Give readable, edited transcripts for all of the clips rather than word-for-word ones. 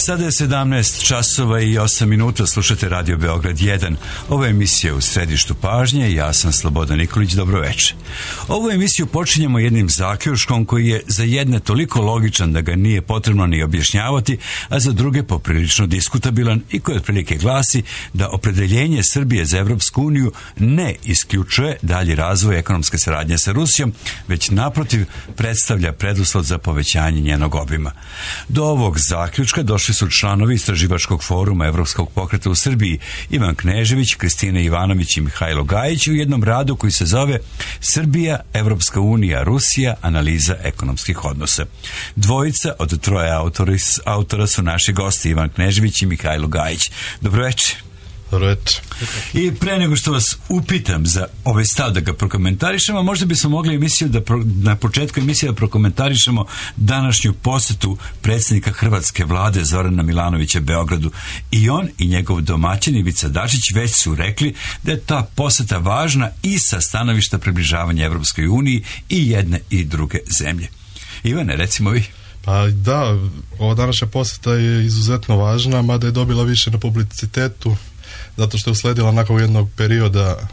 Sada je 17 časova i 8 minuta, slušate Radio Beograd 1. Ovo je emisija u središtu pažnje i ja sam Slobodan Nikolić, dobroveče. Ovu emisiju počinjemo jednim zaključkom koji je za jedne toliko logičan da ga nije potrebno ni objašnjavati, a za druge poprilično diskutabilan i koji otprilike glasi da opredeljenje Srbije za Evropsku uniju ne isključuje dalji razvoj ekonomske saradnje sa Rusijom, već naprotiv predstavlja preduslov za povećanje njenog obima. Do ovog zaključka došli su članovi Istraživačkog foruma Evropskog pokreta u Srbiji Ivan Knežević, Kristina Ivanović i Mihajlo Gajić u jednom radu koji se zove Srbija, Evropska unija, Rusija, analiza ekonomskih odnosa. Dvojica od troje autora su naši gosti Ivan Knežević i Mihajlo Gajić. Dobroveče. I pre nego što vas upitam za ovaj stav da ga prokomentarišemo, možda bismo mogli na početku emisije da prokomentarišemo današnju posetu predsjednika Hrvatske vlade Zorana Milanovića Beogradu. I on i njegov domaćin Ivica Dačić već su rekli da je ta poseta važna i sa stanovišta približavanja Evropskoj uniji i jedne i druge zemlje. Ivane, recimo vi. Pa da, ova današnja poseta je izuzetno važna, mada je dobila više na publicitetu zato što je usledila nakon jednog perioda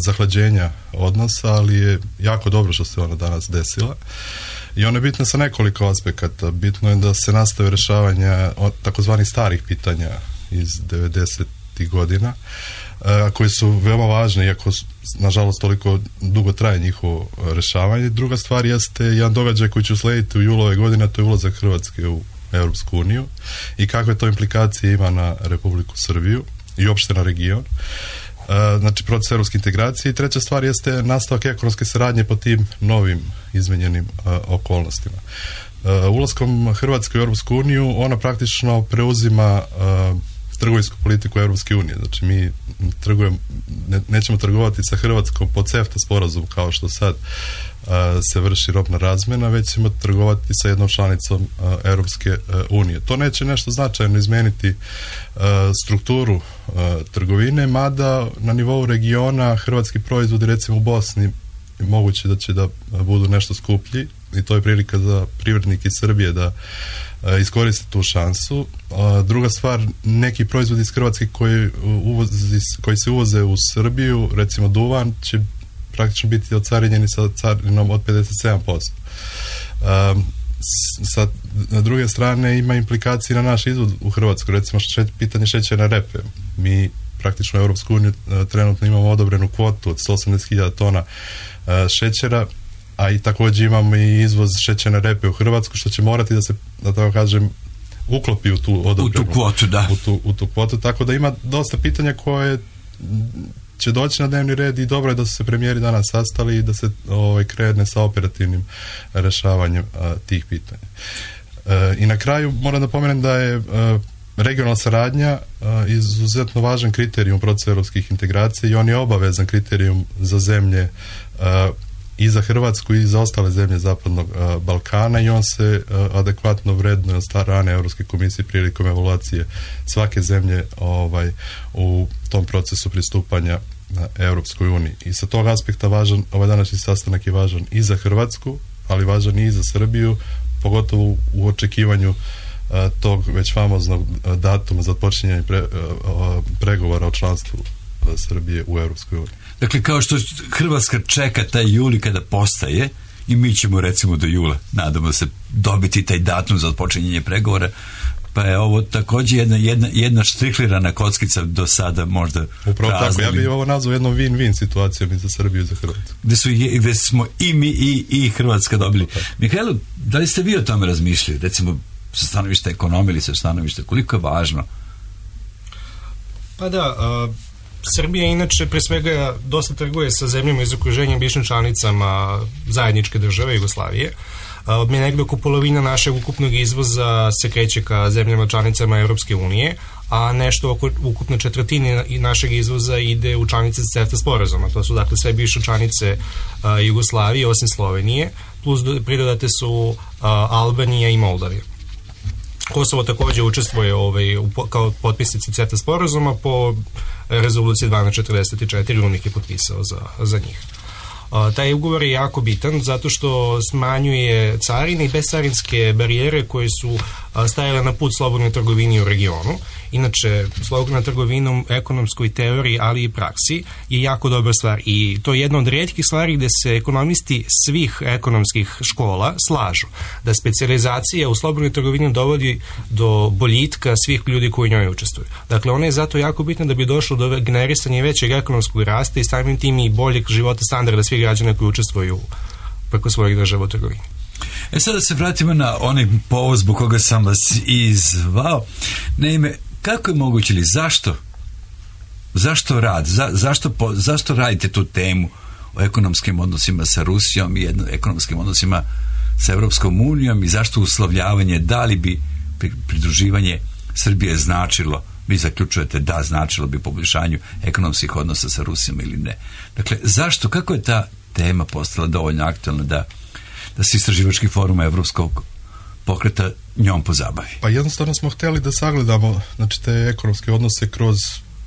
zahlađenja odnosa, ali je jako dobro što se ona danas desila. I ona je bitna sa nekoliko aspekata. Bitno je da se nastave rješavanja takozvanih starih pitanja iz 90. godina, koji su veoma važni, iako nažalost toliko dugo traje njihovo rješavanje. Druga stvar jeste jedan događaj koji će uslediti u julu ove godine, to je ulazak Hrvatske u Europsku uniju i kakve to implikacije ima na Republiku Srbiju i uopšte na region. Znači proces europske integracije. I treća stvar jeste nastavak ekonomske saradnje po tim novim izmenjenim okolnostima. Ulaskom Hrvatske u Europsku uniju ona praktično preuzima trgovinsku politiku Europske unije. Znači mi nećemo trgovati sa Hrvatskom po CEFTA sporazum kao što sad se vrši robna razmjena, već ćemo trgovati sa jednom članicom Europske unije. To neće nešto značajno izmeniti strukturu trgovine, mada na nivou regiona hrvatski proizvodi recimo u Bosni moguće da će da budu nešto skuplji i to je prilika za privrednike iz Srbije da iskoriste tu šansu. Druga stvar, neki proizvodi iz Hrvatske koji se uvoze u Srbiju, recimo duvan, će praktično biti ocarinjeni sa carinom od 57%. Sa druge strane ima implikacije na naš izvoz u Hrvatskoj, recimo pitanje šećerne repe. Mi praktično u Europsku uniju trenutno imamo odobrenu kvotu od 180.000 tona šećera, a i također imamo i izvoz šećerne repe u Hrvatsku, što će morati da se, da tako kažem, uklopi u tu odobrenu kvotu, da. U tu kvotu, tako da ima dosta pitanja koje će doći na dnevni red i dobro je da su se premijeri danas sastali i da se krene sa operativnim rješavanjem tih pitanja. I na kraju moram da pomenem da je regionalna saradnja izuzetno važan kriterijum procesa europskih integracija i on je obavezan kriterijum za zemlje i za Hrvatsku i za ostale zemlje Zapadnog Balkana i on se adekvatno vrednuje od strane Europske komisije prilikom evaluacije svake zemlje u tom procesu pristupanja Europskoj uniji. I sa tog aspekta važan, ovaj današnji sastanak je važan i za Hrvatsku, ali važan i za Srbiju, pogotovo u očekivanju tog već famoznog datuma za odpočinjanje pregovora o članstvu Srbije u Europskoj uniji. Dakle, kao što Hrvatska čeka taj juli kada postaje, i mi ćemo recimo do jula, nadamo se, dobiti taj datum za odpočinjenje pregovora, pa je ovo također jedna štiklirana kockica do sada možda upravo prazna. Tako, ja bih ovo nazvao jednom win-win situacijom i za Srbiju i za Hrvatsku. Gde smo i mi i Hrvatska dobili. Mihajlo, da li ste vi o tome razmišljali, recimo sa stanovišta ekonomije ili sa stanovišta, koliko je važno? Pa da, Srbija inače pre svega dosta trguje sa zemljama iz okruženja bivšim članicama zajedničke države Jugoslavije. Mi negdje oko polovina našeg ukupnog izvoza se kreće ka zemljama članicama Europske unije, a nešto oko ukupne četvrtine našeg izvoza ide u članice CEFTA sporazuma. To su dakle sve bivše članice Jugoslavije osim Slovenije, plus pridodate su Albanija i Moldavija. Kosovo također učestvuje kao potpisnici CEFTA sporazuma po rezoluciji 1244, UNIC je potpisao za njih. Taj ugovor je jako bitan zato što smanjuje carine i bescarinske barijere koje su stajale na put slobodnoj trgovini u regionu. Inače, slobodna trgovina u ekonomskoj teoriji, ali i praksi je jako dobra stvar i to je jedna od rijetkih stvari gde se ekonomisti svih ekonomskih škola slažu da specijalizacija u slobodnoj trgovini dovodi do boljitka svih ljudi koji u njoj učestvuju. Dakle, ona je zato jako bitna da bi došlo do generisanja većeg ekonomskog rasta i samim tim i boljeg života standarda svih građana koji učestvuju preko svojih država u trgovini. Sada se vratimo na onaj povod zbog koga sam vas izvao. Naime, kako je moguće ili zašto rad? Zašto radite tu temu o ekonomskim odnosima sa Rusijom i ekonomskim odnosima sa Europskom unijom i zašto uslovljavanje, da li bi pridruživanje Srbije značilo, vi zaključujete da značilo bi poboljšanju ekonomskih odnosa sa Rusijom ili ne? Dakle, zašto, kako je ta tema postala dovoljno aktualna da se istraživački forum Evropskog pokreta njom pozabavi? Pa jednostavno smo htjeli da sagledamo, znači, te ekonomske odnose kroz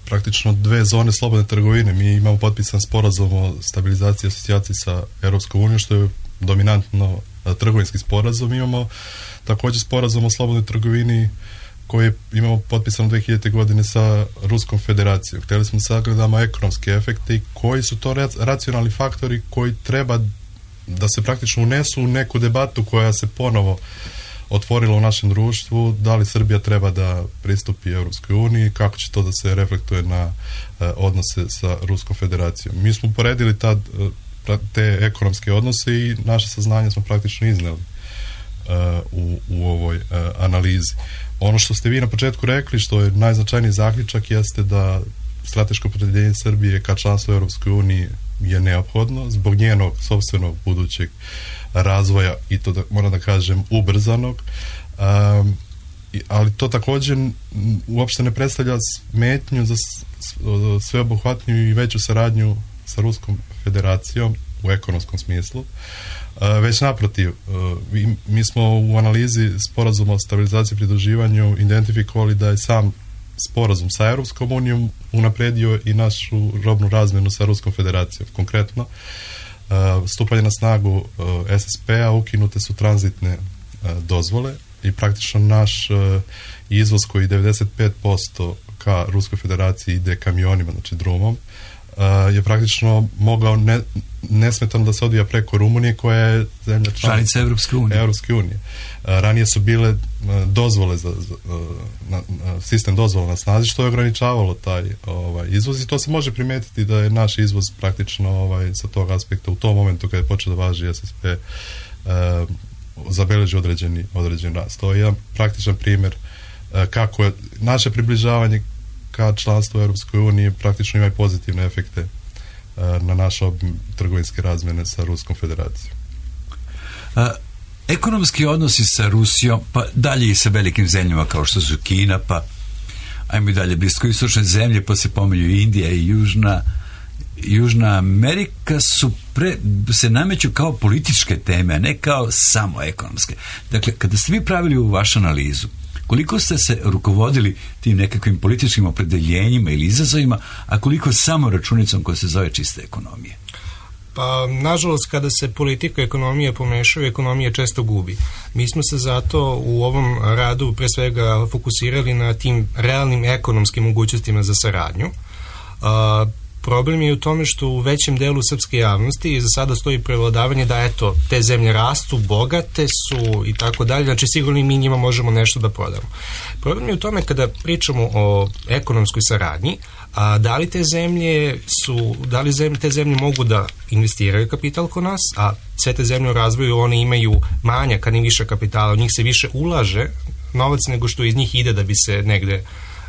praktično 2 zone slobodne trgovine. Mi imamo potpisan sporazum o stabilizaciji i asocijaciji sa Europskom unijom, što je dominantno trgovinski sporazum. Imamo također sporazum o slobodnoj trgovini koji imamo potpisano 2000. godine sa Ruskom federacijom. Htjeli smo sagledamo ekonomske efekte i koji su to racionalni faktori koji treba da se praktično unesu u neku debatu koja se ponovo otvorila u našem društvu, da li Srbija treba da pristupi Europskoj uniji, kako će to da se reflektuje na odnose sa Ruskom federacijom. Mi smo poredili te ekonomske odnose i naše saznanje smo praktično izneli u ovoj analizi. Ono što ste vi na početku rekli, što je najznačajniji zaključak, jeste da strateško opredjeljenje Srbije ka članstvu u Europskoj uniji je neophodno zbog njenog sopstvenog budućeg razvoja i to moram da kažem ubrzanog, ali to također uopšte ne predstavlja smetnju za sveobuhvatniju i veću saradnju sa Ruskom federacijom u ekonomskom smislu. Već naprotiv, mi smo u analizi sporazuma o stabilizaciji i pridruživanju identifikovali da je sam sporazum sa Europskom unijom unapredio i našu robnu razmjenu sa Ruskom federacijom. Konkretno, stupanje na snagu SSP-a, ukinute su tranzitne dozvole i praktično naš izvoz koji 95% ka Ruskoj federaciji ide kamionima, znači drumom, je praktično mogao nesmetano da se odvija preko Rumunije koja je zemlja članica Europske unije. Ranije su bile dozvole sistem dozvola na snazi, što je ograničavalo taj izvoz i to se može primetiti da je naš izvoz praktično sa tog aspekta u tom momentu kada je počeo da važi SSP zabeleži određen rast. To je jedan praktičan primjer kako je naše približavanje ka članstvu u Europskoj uniji praktično ima i pozitivne efekte na naš obim trgovinske razmjene sa Ruskom federacijom. Ekonomski odnosi sa Rusijom, pa dalje i sa velikim zemljama kao što su Kina, pa ajmo i dalje bliskoistočne zemlje, pa se pominju Indija i Južna Amerika se nameću kao političke teme, a ne kao samo ekonomske. Dakle, kada ste vi pravili u vašu analizu, koliko ste se rukovodili tim nekakvim političkim opredeljenjima ili izazovima, a koliko samo računicom koja se zove čista ekonomija? Pa, nažalost, kada se politika i ekonomija pomešaju, ekonomija često gubi. Mi smo se zato u ovom radu pre svega fokusirali na tim realnim ekonomskim mogućnostima za saradnju. Problem je u tome što u većem delu srpske javnosti za sada stoji prevladavanje da eto, te zemlje rastu, bogate su i tako dalje, znači sigurno i mi njima možemo nešto da prodamo. Problem je u tome kada pričamo o ekonomskoj saradnji, da li te zemlje mogu da investiraju kapital kod nas, a sve te zemlje u razvoju one imaju manjak, a ne više kapitala, u njih se više ulaže novac nego što iz njih ide da bi se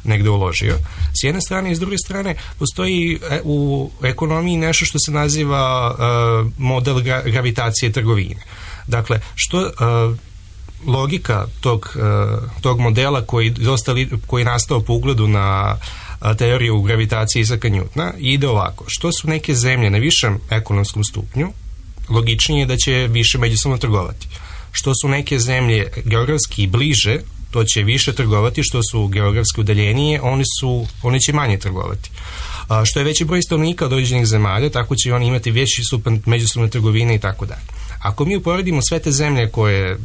negde uložio. S jedne strane i s druge strane postoji u ekonomiji nešto što se naziva model gravitacije trgovine. Dakle, logika tog modela koji je nastao po ugledu na teoriju gravitacije Isaka Newtona ide ovako. Što su neke zemlje na višem ekonomskom stupnju, logičnije je da će više međusobno trgovati. Što su neke zemlje geografski bliže, to će više trgovati, što su geografski udaljenije, one će manje trgovati. Što je veći broj stanovnika od određenih zemalja, tako će oni imati veći stupanj međusobne trgovine i tako dalje. Ako mi uporedimo sve te zemlje koje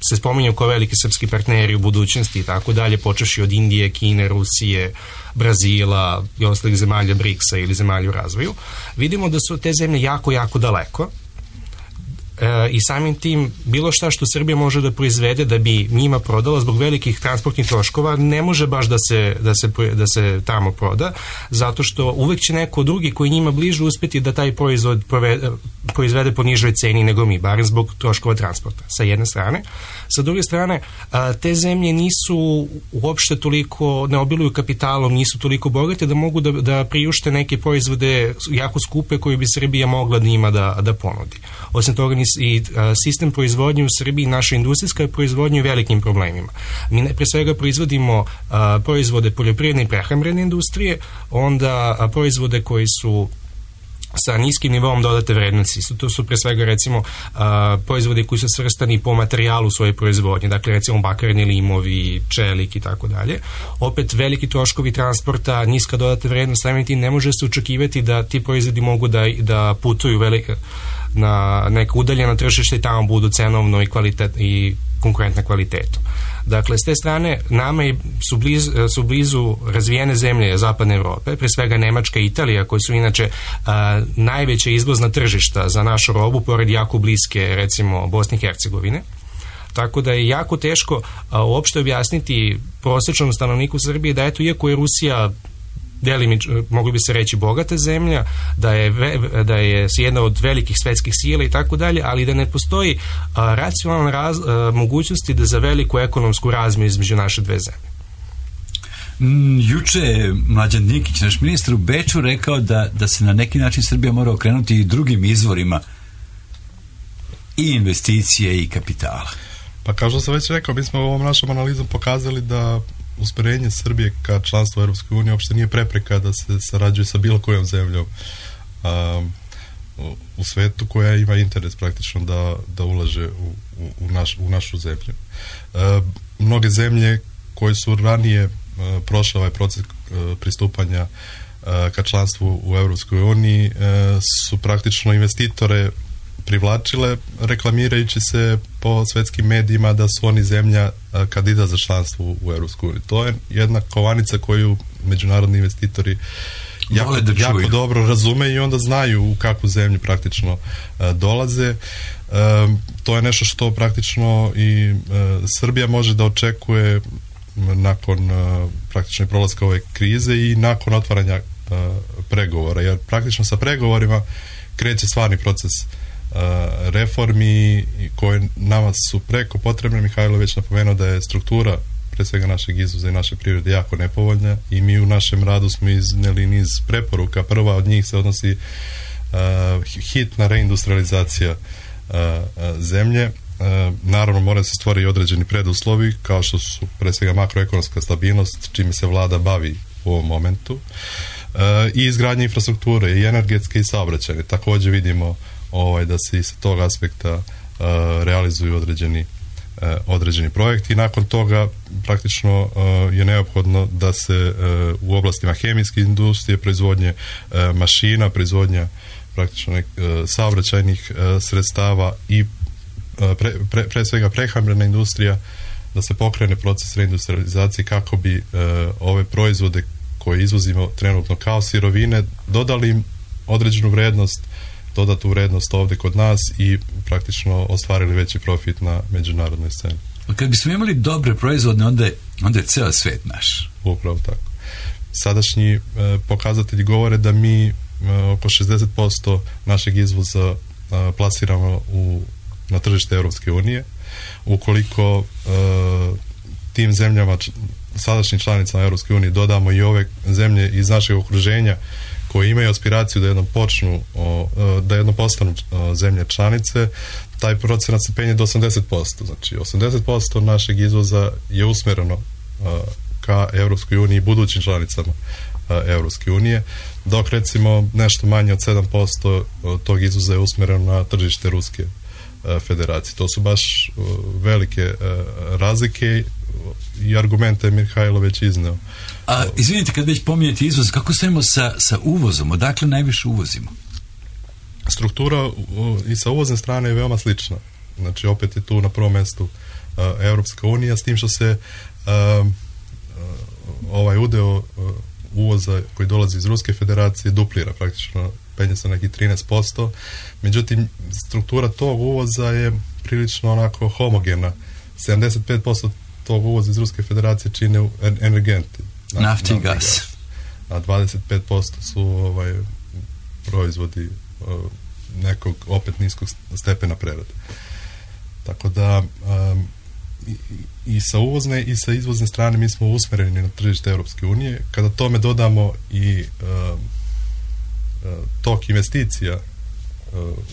se spominju kao veliki srpski partneri u budućnosti i tako dalje, počevši od Indije, Kine, Rusije, Brazila i ostalih zemalja BRICS-a ili zemalja u razvoju, vidimo da su te zemlje jako, jako daleko i samim tim bilo šta što Srbija može da proizvede da bi njima prodala zbog velikih transportnih troškova ne može baš da se tamo proda, zato što uvek će neko drugi koji njima bliže uspeti da taj proizvod proizvede po nižoj ceni nego mi, barem zbog troškova transporta, sa jedne strane. Sa druge strane, te zemlje nisu uopšte toliko, ne obiluju kapitalom, nisu toliko bogate da mogu da priušte neke proizvode jako skupe koje bi Srbija mogla njima da ponudi. Osim toga, i sistem proizvodnje u Srbiji, naša industrijska proizvodnja u velikim problemima. Mi pre svega proizvodimo proizvode poljoprivredne i prehrambene industrije, onda proizvode koji su sa niskim nivom dodate vrednosti. To su pre svega recimo proizvode koji su svrstani po materijalu svoje proizvodnje, dakle recimo bakarni limovi, čelik i tako dalje. Opet veliki troškovi transporta, niska dodata vrednost, samim tim ne može se očekivati da ti proizvodi mogu da putuju na neka udaljena tržišta i tamo budu cenovno i konkurentna kvalitetom. Dakle, s te strane, nama su blizu razvijene zemlje Zapadne Evrope, pre svega Nemačka i Italija, koji su inače najveća izvozna tržišta za našu robu, pored jako bliske, recimo, Bosne i Hercegovine. Tako da je jako teško uopšte objasniti prosječnom stanovniku Srbije da eto, iako je Rusija mogli bi se reći bogata zemlja, da je jedna od velikih svetskih sila i tako dalje, ali da ne postoji racionalna mogućnosti da za veliku ekonomsku razmiju između naše dve zemlje. Juče je Mlađan Dinkić, naš ministar u Beču, rekao da se na neki način Srbija mora okrenuti i drugim izvorima i investicije i kapitala. Pa kao što sam već rekao, mi smo ovom našom analizom pokazali da usmjerenje Srbije ka članstvu Europskoj uniji uopšte nije prepreka da se sarađuje sa bilo kojom zemljom u svetu koja ima interes praktično da ulaže u našu zemlju. Mnoge zemlje koje su ranije prošle ovaj proces pristupanja ka članstvu u Europskoj uniji su praktično investitore privlačile reklamirajući se po svetskim medijima da su oni zemlja kandidat za članstvo u Europskoj uniji. To je jedna kovanica koju međunarodni investitori jako dobro razume i onda znaju u kakvu zemlju praktično dolaze. To je nešto što praktično i Srbija može da očekuje nakon praktično prolaska ove krize i nakon otvaranja pregovora, jer praktično sa pregovorima kreće stvarni proces reformi koje nama su preko potrebne. Mihajlo već napomenuo da je struktura pre svega našeg izvoza i naše privrede jako nepovoljna i mi u našem radu smo iznijeli niz preporuka. Prva od njih se odnosi hitna reindustrializacija zemlje. Naravno mora se stvoriti određeni preduslovi kao što su pre svega makroekonomska stabilnost, čime se vlada bavi u ovom momentu, i izgradnja infrastrukture i energetske i saobraćajne. Također vidimo da se iz tog aspekta realizuju određeni projekti i nakon toga praktično je neophodno da se u oblastima hemijske industrije, proizvodnje mašina, proizvodnja praktično saobraćajnih sredstava i pre svega prehrambena industrija, da se pokrene proces reindustrializacije kako bi ove proizvode koje izvozimo trenutno kao sirovine dodali im određenu vrednost, dodatu vrednost ovdje kod nas i praktično ostvarili veći profit na međunarodnoj sceni. Kad bismo imali dobre proizvodne, onda je ceo svet naš. Upravo tako. Sadašnji pokazatelji govore da mi oko 60% našeg izvoza plasiramo na tržište Europske unije. Ukoliko tim zemljama, sadašnjim članicama Europske unije, dodamo i ove zemlje iz našeg okruženja koji imaju aspiraciju da jednom postanu zemlje članice, taj procenat se penje do 80%. Znači 80% našeg izvoza je usmjereno ka Europskoj uniji i budućim članicama Europske unije, dok recimo nešto manje od 7% tog izvoza je usmjereno na tržište Ruske federacije. To su baš velike razlike. i argumente Mihajlo već izneo. A izvinite, kad već pominjete izvoz, kako stojimo sa uvozom? Odakle najviše uvozimo? Struktura i sa uvozne strane je veoma slična. Znači, opet je tu na prvom mjestu Europska unija, s tim što se ovaj udeo uvoza koji dolazi iz Ruske federacije duplira, praktično penje se neki 13%. Međutim, struktura tog uvoza je prilično onako homogena. 75% tog uvoza iz Ruske federacije čine energenti. Nafti i gas. A 25% su proizvodi nekog opet niskog stepena prerade. Tako da i sa uvozne i sa izvozne strane mi smo usmereni na tržište Europske unije. Kada tome dodamo i tok investicija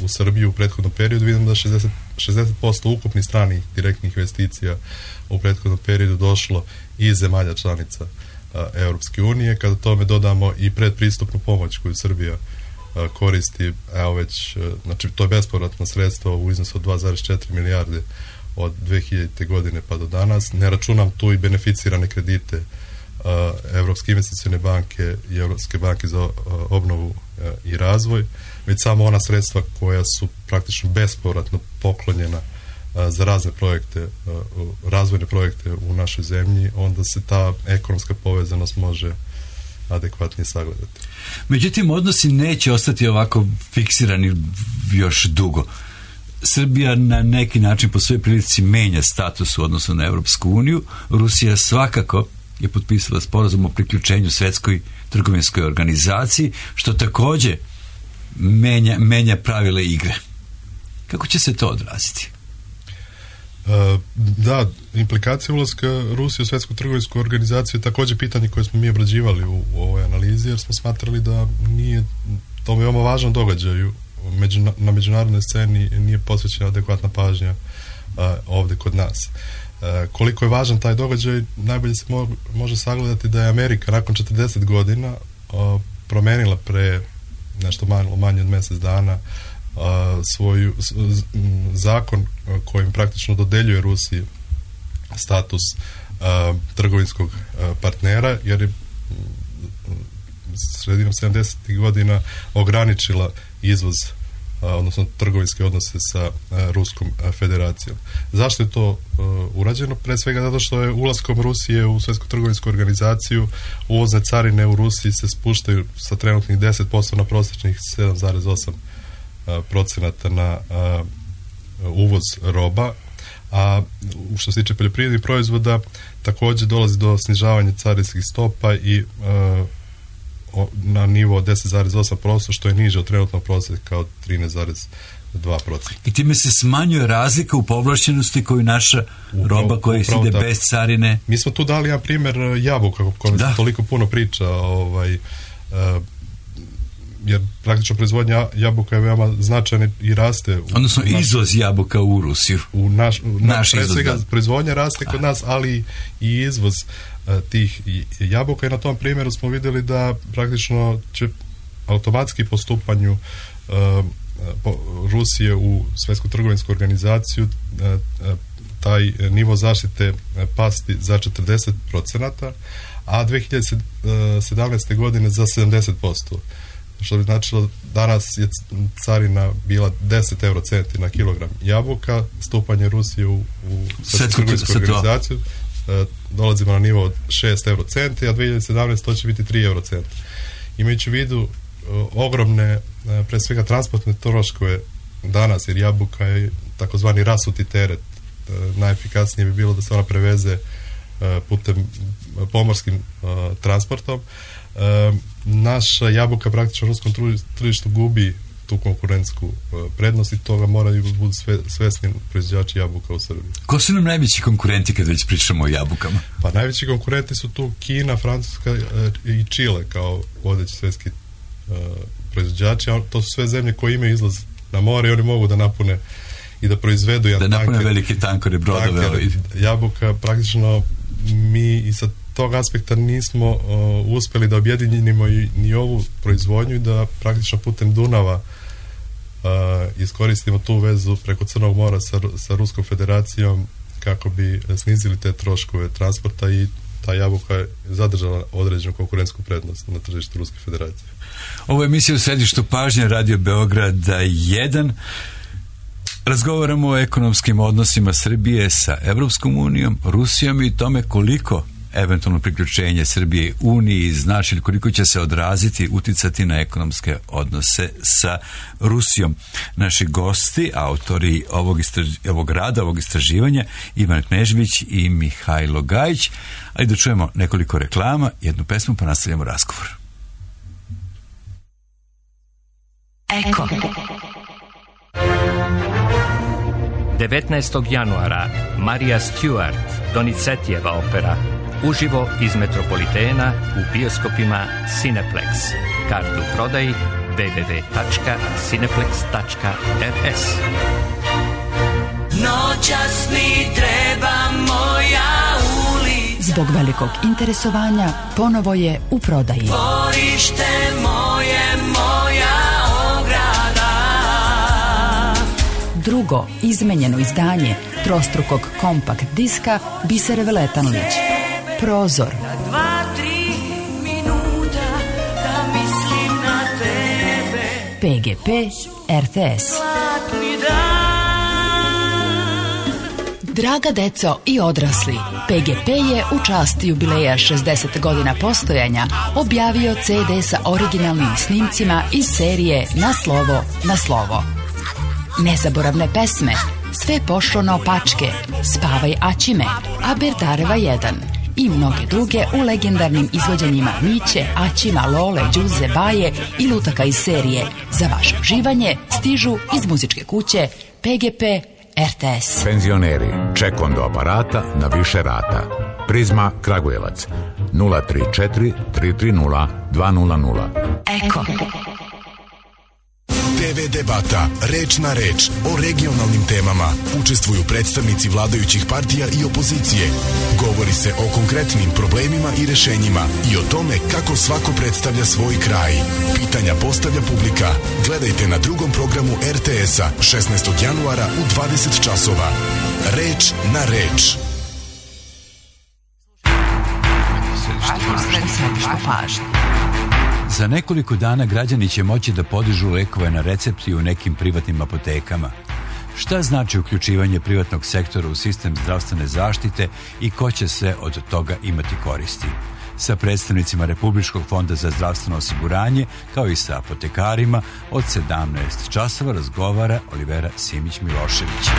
u Srbiju u prethodnom periodu, vidimo da 60% ukupnih stranih direktnih investicija u prethodnom periodu došlo iz zemalja članica Europske unije. Kada tome dodamo i predpristupnu pomoć koju Srbija koristi, evo već, znači to je bespovratno sredstvo u iznosu od 2,4 milijarde od 2000. godine pa do danas. Ne računam tu i beneficirane kredite Evropske investicione banke i Evropske banke za obnovu i razvoj, već samo ona sredstva koja su praktično bespovratno poklonjena za razne projekte, razvojne projekte u našoj zemlji, onda se ta ekonomska povezanost može adekvatnije sagledati. Međutim, odnosi neće ostati ovako fiksirani još dugo. Srbija na neki način po svojoj prilici menja status u odnosu na Europsku uniju. Rusija svakako je potpisala sporazum o priključenju Svetskoj trgovinskoj organizaciji, što također menja pravila igre. Kako će se to odraziti? Da, implikacija ulaska Rusije u Svetsku trgovinsku organizaciju je također pitanje koje smo mi obrađivali u ovoj analizi, jer smo smatrali da nije to veoma važan događaj na međunarodnoj sceni, nije posvećena adekvatna pažnja ovdje kod nas. Koliko je važan taj događaj, najbolje se može sagledati da je Amerika nakon 40 godina promenila pre nešto manje od mjesec dana svoj zakon kojim praktično dodeljuje Rusiji status trgovinskog partnera, jer je sredinom 70. godina ograničila izvoz, odnosno trgovinske odnose sa Ruskom federacijom. Zašto je to urađeno? Pre svega zato što je ulaskom Rusije u Svetsku trgovinsku organizaciju uvozne carine u Rusiji se spuštaju sa trenutnih 10% na prosječnih 7,8% na uvoz roba, a što se tiče poljoprivrednih proizvoda također dolazi do snižavanja carinskih stopa i na nivo 10,8%, što je niže od trenutnog prosjeka od 13,2%. I time se smanjuje razlika u povlašćenosti koju naša roba koja ide bez carine. Mi smo tu dali jedan primjer jabuka o kojem se toliko puno priča, jer praktično proizvodnja jabuka je veoma značajna i raste. Odnosno izvoz jabuka u Rusiju. Naš izvoz, proizvodnja raste kod nas, ali i izvoz tih jabuka, i na tom primjeru smo vidjeli da praktično će automatski po stupanju Rusije u Svetsku trgovinsku organizaciju taj nivo zaštite pasti za 40%, a 2017. godine za 70%. Što bi značilo, danas je carina bila 10 eurocenti na kilogram jabuka, stupanje Rusije u Svetsku trgovinsku organizaciju dolazimo na nivo od 6 eurocenti, a 2017 to će biti 3 eurocenta. Imajući u vidu ogromne, pre svega transportne troškove danas, jer jabuka je takozvani rasuti teret, najefikasnije bi bilo da se ona preveze putem pomorskim transportom. Naša jabuka praktično u ruskom tržištu gubi tu konkurentsku prednost i toga moraju budu svesni proizvođači jabuka u Srbiji. Ko su nam najveći konkurenti kad već pričamo o jabukama? Pa najveći konkurenti su tu Kina, Francuska i Čile kao vodeći svjetski proizvođači, a to su sve zemlje koje imaju izlaz na more i oni mogu da napune i da proizvedu jedan da napune velike tankere, brodove. Jabuka praktično mi i sa tog aspekta nismo uspjeli da objedinimo ni ovu proizvodnju i da praktično putem Dunava iskoristimo tu vezu preko Crnog mora sa Ruskom federacijom kako bi snizili te troškove transporta i ta jabuka je zadržala određenu konkurentsku prednost na tržištu Ruske federacije. Ovo je emisija u središtu pažnje Radio Beograda 1. Razgovaramo o ekonomskim odnosima Srbije sa Evropskom unijom, Rusijom i tome koliko eventualno priključenje Srbije Uniji znači, koliko će se odraziti, uticati na ekonomske odnose sa Rusijom. Naši gosti, autori ovog rada, ovog istraživanja, Ivan Knežević i Mihajlo Gajić. Ali da čujemo nekoliko reklama, jednu pesmu pa nastavljamo razgovor. Eko. 19. januara Marija Stewart, Donizetijeva opera, uživo iz Metropolitena u bioskopima Cineplex. Kartu prodaji www.cineplex.rs. Noćas mi treba moja ulica. Zbog velikog interesovanja ponovo je u prodaji. Dvorište moje, moja ograda. Drugo izmenjeno izdanje trostrukog kompakt diska Bisere Veletanlić. Prozor. 2-3 minuta da mislim na tebe. PGP RTS. Zlatni dan. Draga deco i odrasli, PGP je u čast jubileja 60 godina postojanja objavio CD sa originalnim snimcima iz serije Na slovo, na slovo. Nezaboravne pesme, Sve pošlo naopačke, Spavaj Aćime, Aberdareva 1 i mnoge druge u legendarnim izvođenjima Miće, Aćima, Lole, Đuze, Baje i lutaka iz serije. Za vaše uživanje stižu iz muzičke kuće PGP RTS. Penzioneri, ček do aparata na više rata. Prizma Kragujevac 034 330 200. Eko. TV debata, reč na reč, o regionalnim temama. Učestvuju predstavnici vladajućih partija i opozicije. Govori se o konkretnim problemima i rešenjima i o tome kako svako predstavlja svoj kraj. Pitanja postavlja publika. Gledajte na drugom programu RTS-a 16. januara u 20 časova. Reč na reč. Za nekoliko dana građani će moći da podižu lekove na recepti u nekim privatnim apotekama. Šta znači uključivanje privatnog sektora u sistem zdravstvene zaštite i ko će se od toga imati koristi? Sa predstavnicima Republičkog fonda za zdravstveno osiguranje, kao i sa apotekarima, od 17 časova razgovara Olivera Simić-Milošević.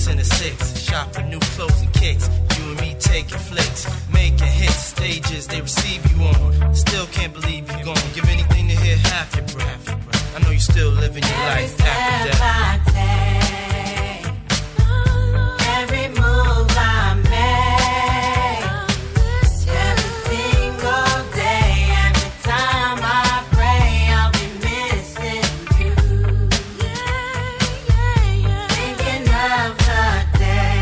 6 and a 6, shop for new clothes and kicks. You and me taking flicks, making hits, stages they receive you on. Still can't believe you gone. Give anything to hear half your breath. I know you still living your life after death. Every move I make, every single day, every time I pray, I'll be missing you. Thinking of the day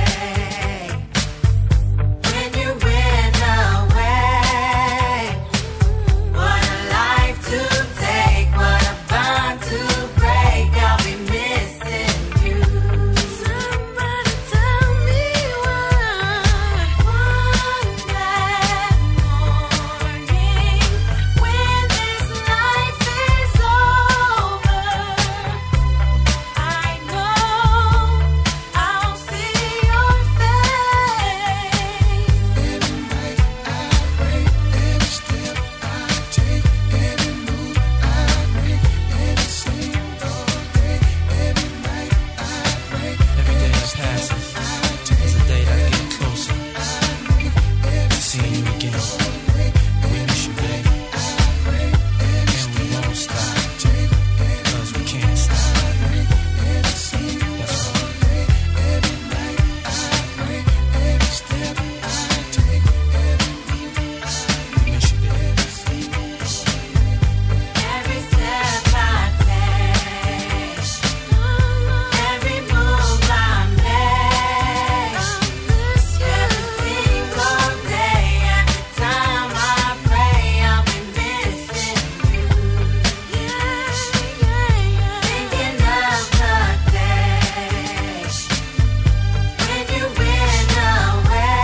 when you went away. What a life to take, what a bond to break. I'll be missing you. Somebody tell me why. One that morning when this life is over, I know I'll see your face. Every night I pray, every step I take, every move I make, every single day, every night I pray. Every day that passes is a day that I get closer to seeing you again. We miss you, babe, and we won't stop, cause we can't stop. That's right. Every night I pray, every step I take, every move We miss you, babe. Every step I take, every move I make, every single day, every time I pray, I'll be missing you. Thinking of the day when you went away.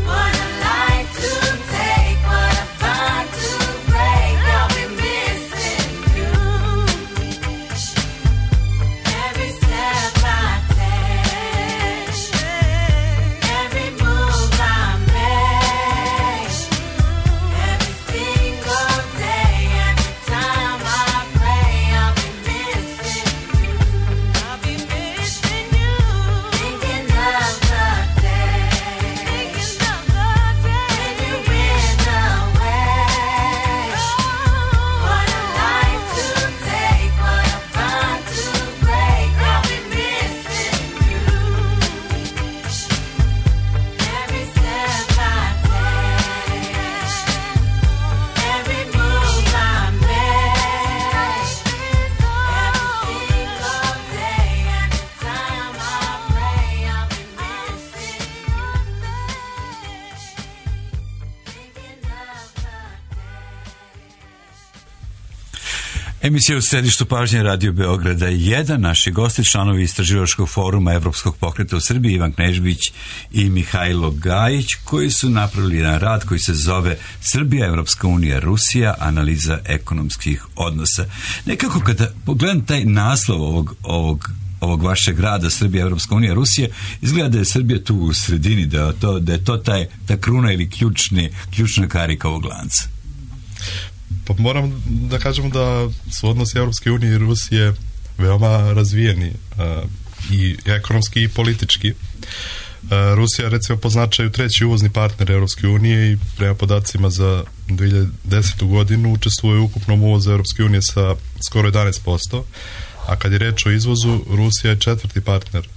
What a life to take, what a bond to break. I'll be missing you. Every step I take, every move I make, every single day, every time I pray, I'll be missing you. I'll be missing you. Thinking of the day, when you went away. What a life to take, what a bond to break. I'll be missing you. Every step I take, every move I make, every single day, every time I pray, I'll be missing your face. Thinking of the Emisija u središtu pažnje Radio Beograda 1. Naši gosti, članovi Istraživačkog foruma Evropskog pokreta u Srbiji, Ivan Knežbić i Mihajlo Gajić, koji su napravili jedan rad koji se zove Srbija, Evropska unija, Rusija, analiza ekonomskih odnosa. Nekako kada pogledam taj naslov ovog vašeg rada Srbija, Evropska unija, Rusija, izgleda da je Srbija tu u sredini, da je to ta kruna ili ključna karika ovog lanca. Pa moram da kažemo da su odnosi Europske unije i Rusije veoma razvijeni i ekonomski i politički. Rusija recimo po značaju treći uvozni partner Europske unije i prema podacima za 2010. godinu učestvuje u ukupnom uvozu Europske unije sa skoro 11%, a kad je reč o izvozu, Rusija je četvrti partner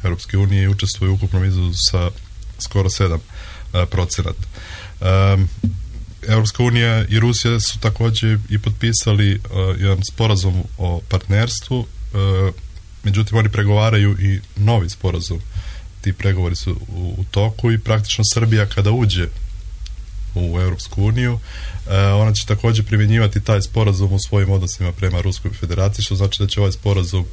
Europske unije i učestvuje u ukupnom izvozu sa skoro 7%. Europska unija i Rusija su također i potpisali jedan sporazum o partnerstvu, međutim oni pregovaraju i novi sporazum. Ti pregovori su u toku i praktično Srbija kada uđe u Europsku uniju, ona će također primjenjivati taj sporazum u svojim odnosima prema Ruskoj federaciji, što znači da će ovaj sporazum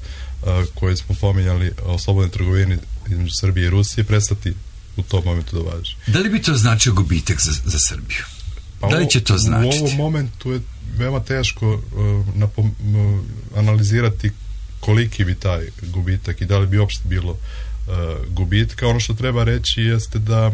koji smo pominjali o slobodnoj trgovini između Srbije i Rusije prestati u tom momentu da važi. Da li bi to značio gubitak za Srbiju? Da li će to značiti? U ovom momentu je veoma teško analizirati koliki bi taj gubitak i da li bi uopšte bilo gubitka. Ono što treba reći jeste da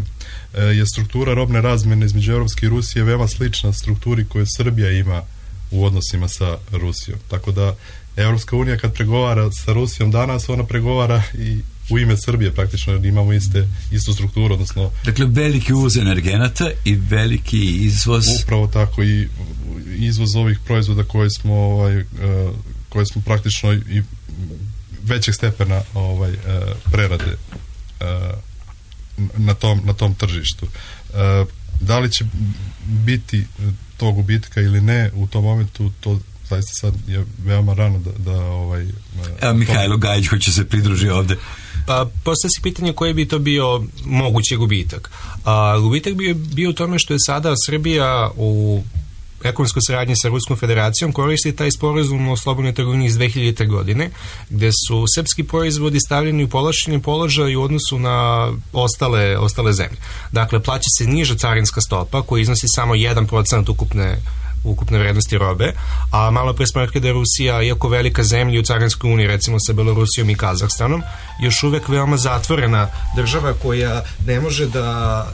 je struktura robne razmjene između Europske i Rusije veoma slična strukturi koju Srbija ima u odnosima sa Rusijom. Tako da Europska unija kad pregovara sa Rusijom danas, ona pregovara i u ime Srbije praktično, jer imamo istu strukturu, odnosno... Dakle, veliki uvoz energenata i veliki izvoz... Upravo tako, i izvoz ovih proizvoda koje smo praktično i većeg stepena prerade na tom tržištu. Da li će biti tog gubitka ili ne u tom momentu, to zaista sad je veoma rano da Evo, Mihajlo Gajić hoće se pridruži ovde. Pa postoji se pitanje koji bi to bio mogući gubitak. Gubitak bi bio u tome što je sada Srbija u ekonomskoj saradnji sa Ruskom federacijom koristi taj sporazum o slobodnoj trgovini iz 2000. godine, gde su srpski proizvodi stavljeni u povlašćeni položaj u odnosu na ostale zemlje. Dakle, plaća se niža carinska stopa koja iznosi samo 1% ukupne vrednosti robe, a malo pre smo rekli da je Rusija, iako velika zemlja u Carinskoj uniji, recimo sa Belorusijom i Kazahstanom, još uvek veoma zatvorena država koja ne može da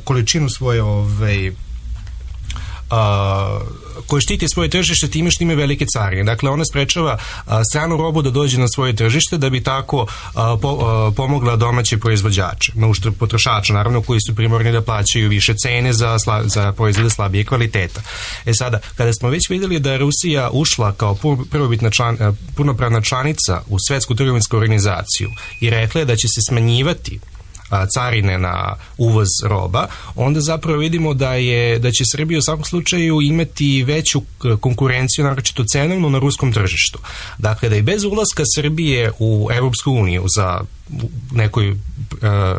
količinu svoje koji štiti svoje tržište time što ima velike carine. Dakle, ona sprečava stranu robu da dođe na svoje tržište da bi tako pomogla domaće proizvođače, na uštrb potrošača, naravno, koji su primorni da plaćaju više cene za proizvode slabije kvaliteta. Sada, kada smo već videli da je Rusija ušla kao punopravna članica u Svetsku trgovinsku organizaciju i rekla je da će se smanjivati carine na uvoz roba, onda zapravo vidimo da će Srbija u svakom slučaju imati veću konkurenciju, naročito cenovno, na ruskom tržištu. Dakle, da i bez ulaska Srbije u Evropsku uniju za nekoj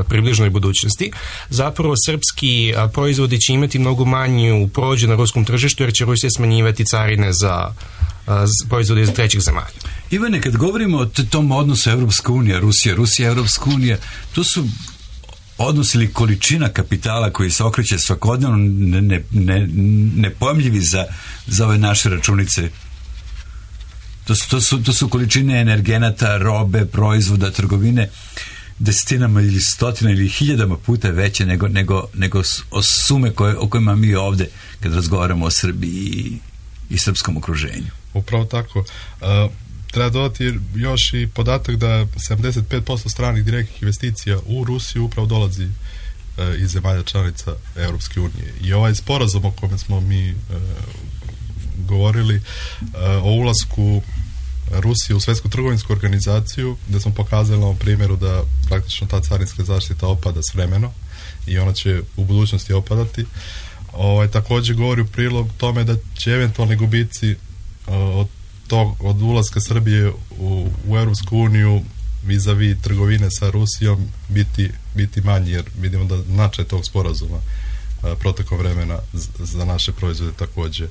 približnoj budućnosti, zapravo srpski proizvodi će imati mnogo manju prođu na ruskom tržištu, jer će Rusija smanjivati carine za proizvode iz trećih zemalja. Ivane, kad govorimo o tom odnosu Evropska unija, Rusija, Evropska unija, to su odnos ili količina kapitala koji se okreće svakodnevno nepojmljivi za ove naše računice. To su količine energenata, robe, proizvoda, trgovine desetinama ili stotina ili hiljadama puta veće nego sume o kojima mi ovde kad razgovaramo o Srbiji i srpskom okruženju. Upravo tako. Treba dodati još i podatak da 75% stranih direktnih investicija u Rusiju upravo dolazi iz zemalja članica Europske unije. I ovaj sporazum o kome smo mi govorili o ulasku Rusije u Svetsku trgovinsku organizaciju, gde smo pokazali na ovom primjeru da praktično ta carinska zaštita opada s vremenom i ona će u budućnosti opadati. Također govori u prilog tome da će eventualni gubici od ulaska Srbije u Europsku uniju vis-a-vis trgovine sa Rusijom biti manji, jer vidimo da značaj tog sporazuma protekom vremena za naše proizvode također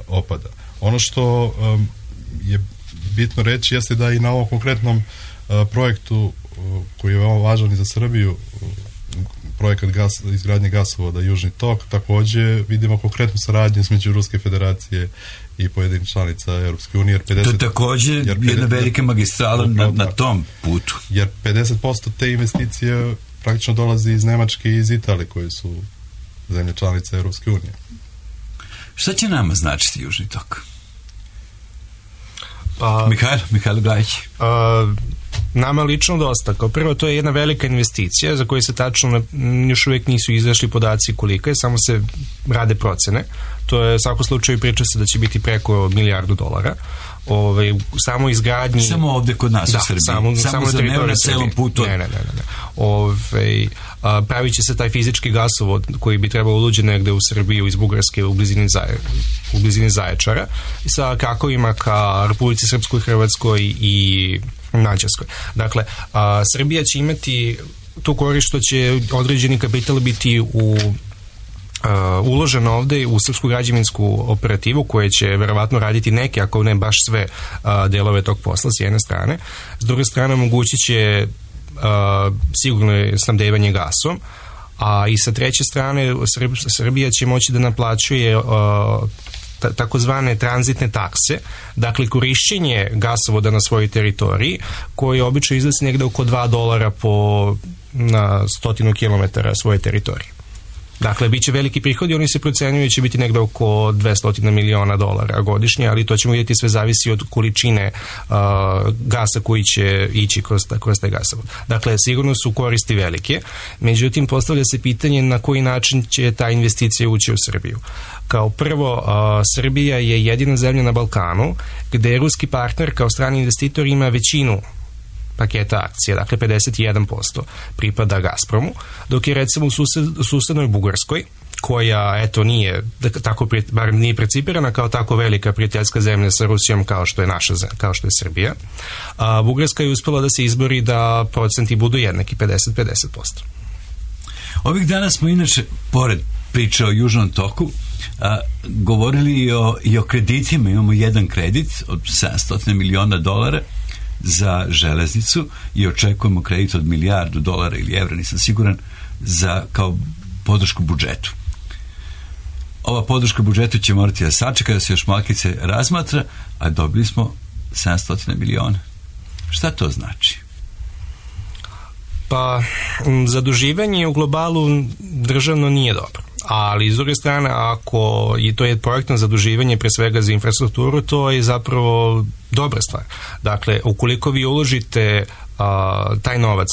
opada. Ono što je bitno reći jeste da i na ovom konkretnom projektu koji je veoma važan i za Srbiju, projekat izgradnje gasovoda Južni tok, također vidimo konkretnu saradnju između Ruske federacije i pojedinih članica Europske unije. To je također jedna velika magistrala na tom putu. Jer 50% te investicije praktično dolazi iz Nemačke i iz Italije, koje su zemlje članice Europske unije. Šta će nama značiti Južni tok? Mihajlo Gajić. Nama lično dosta. Kao prvo, to je jedna velika investicija za koju se tačno još uvijek nisu izašli podaci kolika je, samo se rade procene. To je u svakom slučaju, priča se da će biti preko $1 milijardu. Samo izgradnji... Samo ovdje kod nas u Srbiji. Samo za ne na celom putu. Ne. Pravit će se taj fizički gasovod koji bi trebao uđe negde u Srbiju iz Bugarske u blizini Zaječara, sa krakovima ka Republici Srpskoj, Hrvatskoj i Mađarskoj. Dakle, Srbija će imati tu korist što će određeni kapital biti uloženo ovde u srpsku građevinsku operativu, koje će verovatno raditi neke, ako ne baš sve delove tog posla s jedne strane. S druge strane, omogućit će sigurno snabdevanje gasom, a i sa treće strane Srbija će moći da naplaćuje takozvane tranzitne takse, dakle korišćenje gasovoda na svojoj teritoriji, koji obično iznosi negde oko $2 na 100 kilometara svoje teritorije. Dakle, bit će veliki prihodi, oni se procenjuju će biti negde oko $200 miliona godišnje, ali to ćemo vidjeti, sve zavisi od količine gasa koji će ići kroz taj gasovod. Dakle, sigurno su koristi velike, međutim, postavlja se pitanje na koji način će ta investicija ući u Srbiju. Kao prvo, Srbija je jedina zemlja na Balkanu gde ruski partner kao strani investitor ima većinu paketa akcija, dakle 51% pripada Gazpromu, dok je recimo u susednoj Bugarskoj, koja eto nije tako, bar nije precipirana kao tako velika prijateljska zemlja sa Rusijom kao što je kao što je Srbija, a Bugarska je uspela da se izbori da procenti budu jednaki, 50-50%. Ovih dana smo inače, pored priče o Južnom toku, govorili i o kreditima. Imamo jedan kredit od $700 miliona za železnicu i očekujemo kredit od $1 milijardu ili evra, nisam siguran, za kao podršku budžetu. Ova podrška budžetu će morati da sačeka, da se još malkice razmatra, a dobili smo 700 miliona. Šta to znači? Pa, zaduživanje u globalu državno nije dobro. Ali, s druge strane, ako i to je projektno zaduživanje pre svega za infrastrukturu, to je zapravo dobra stvar. Dakle, ukoliko vi uložite taj novac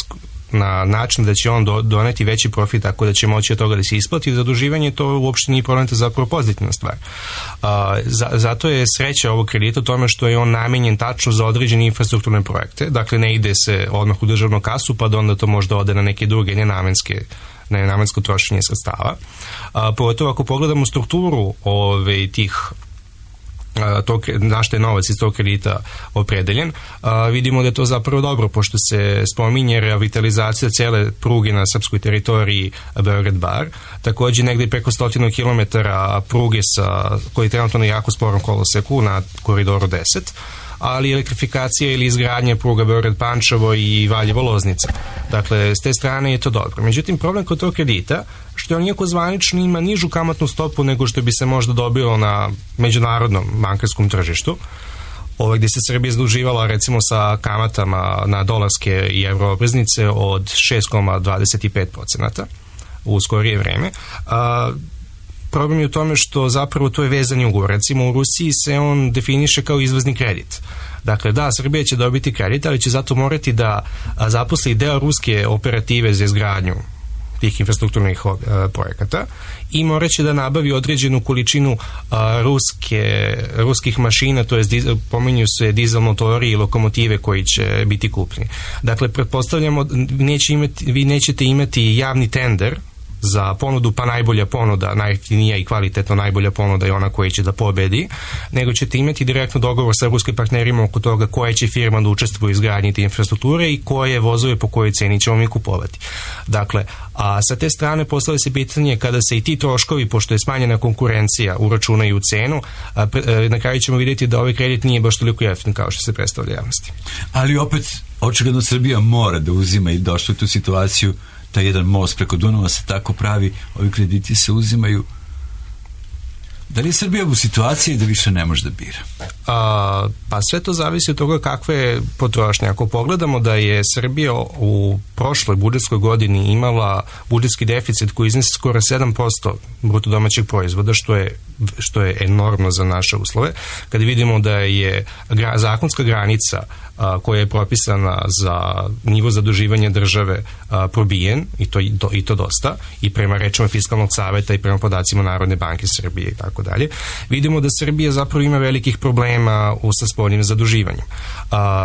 na način da će on doneti veći profit, tako da će moći od toga da se isplati zaduživanje, to uopšte nije problem, to je zapravo pozitivna stvar. Zato je sreća ovog kredita u tome što je on namenjen tačno za određene infrastrukturne projekte. Dakle, ne ide se odmah u državnu kasu, pa da onda to možda ode na neke druge nenamensko trošenje sredstava. Pogotovo ako pogledamo strukturu tih na što je novac iz tog kredita opredeljen, vidimo da je to zapravo dobro, pošto se spominje revitalizacija cele pruge na srpskoj teritoriji Beograd-Bar, takođe negde preko 100 km pruge koji je trenutno na jako sporom koloseku na koridoru 10, ali elektrifikacija ili izgradnja pruga Beograd-Pančevo i Valjevo-Loznica. Dakle, s te strane je to dobro. Međutim, problem kod tog kredita, što on iako zvanično ima nižu kamatnu stopu nego što bi se možda dobilo na međunarodnom bankarskom tržištu, gdje se Srbija zaduživala recimo sa kamatama na dolarske i evro obveznice od 6,25% u skorije vreme. Problem je u tome što zapravo to je vezani ugovor. Recimo u Rusiji se on definiše kao izvozni kredit. Dakle, da, Srbija će dobiti kredit, ali će zato morati da zaposli deo ruske operative za izgradnju tih infrastrukturnih projekata i morat će da nabavi određenu količinu ruskih mašina, to je pominju se dizel motori i lokomotive koji će biti kupljeni. Dakle, pretpostavljamo, vi nećete imati javni tender za ponudu, pa najbolja ponuda, najjeftinija i kvalitetno najbolja ponuda je ona koja će da pobedi, nego ćete imati direktno dogovor sa ruskim partnerima oko toga koja će firma da učestvuje u izgradnji te infrastrukture i koje vozove po kojoj ceni ćemo mi kupovati. Dakle, a sa te strane postavlja se pitanje kada se i ti troškovi, pošto je smanjena konkurencija, uračunaju u cenu, na kraju ćemo vidjeti da ovaj kredit nije baš toliko jeftin kao što se predstavlja javnosti. Ali opet, očigledno Srbija mora da uzima i došla u tu situaciju. Taj jedan most preko Dunava se tako pravi, ovi krediti se uzimaju. Da li je Srbija u situaciji da više ne može da bira? Pa sve to zavisi od toga kakve je potrošnje. Ako pogledamo da je Srbija u prošloj budžetskoj godini imala budžetski deficit koji iznese skoro 7% bruto domaćeg proizvoda, što je enormno za naše uslove, kada vidimo da je zakonska granica koja je propisana za nivo zaduživanja države probijen, i to dosta, i prema rečima Fiskalnog saveta i prema podacima Narodne banke Srbije i tako dalje, vidimo da Srbija zapravo ima velikih problema sa spoljnim zaduživanjem.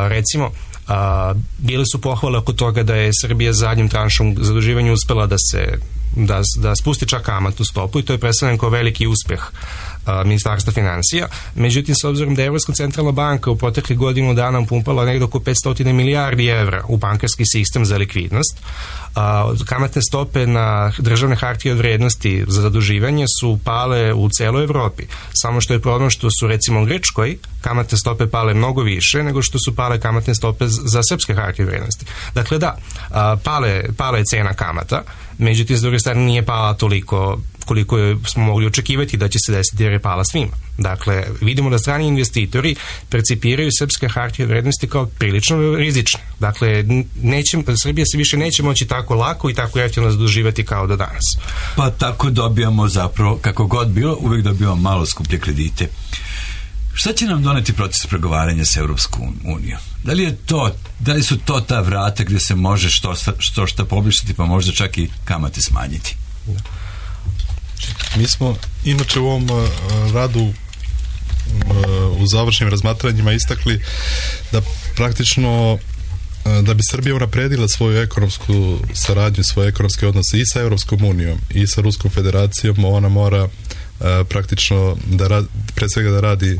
Recimo, bile su pohvale oko toga da je Srbija zadnjim tranšom zaduživanja uspela da spusti čak kamatnu stopu i to je predstavljeno kao veliki uspeh Ministarstva financija. Međutim, s obzirom da je Evropska centralna banka u proteklih godinu dana upumpala negdje oko 500 milijardi evra u bankarski sistem za likvidnost, kamatne stope na državne hartije od vrednosti za zaduživanje su pale u celoj Evropi. Samo što je problem što su recimo u Grčkoj kamatne stope pale mnogo više nego što su pale kamatne stope za srpske hartije od vrednosti. Dakle, da, pala je cena kamata, međutim, s druge strane nije pala toliko koliko smo mogli očekivati da će se desiti jer je pala svima. Dakle, vidimo da strani investitori percipiraju srpske hartije od vrednosti kao prilično rizične. Dakle, Srbija se više neće moći tako lako i tako jeftino zaduživati kao do danas. Pa tako dobijamo zapravo, kako god bilo, uvijek dobijamo malo skuplje kredite. Šta će nam doneti proces pregovaranja s Europskom unijom? Da li su to ta vrata gdje se može što poboljšati, pa možda čak i kamate smanjiti? Mi smo inače u ovom radu u završnim razmatranjima istakli da praktično da bi Srbija unapredila svoju ekonomsku saradnju, svoje ekonomske odnose i sa Europskom unijom i sa Ruskom federacijom, ona mora praktično pre svega da radi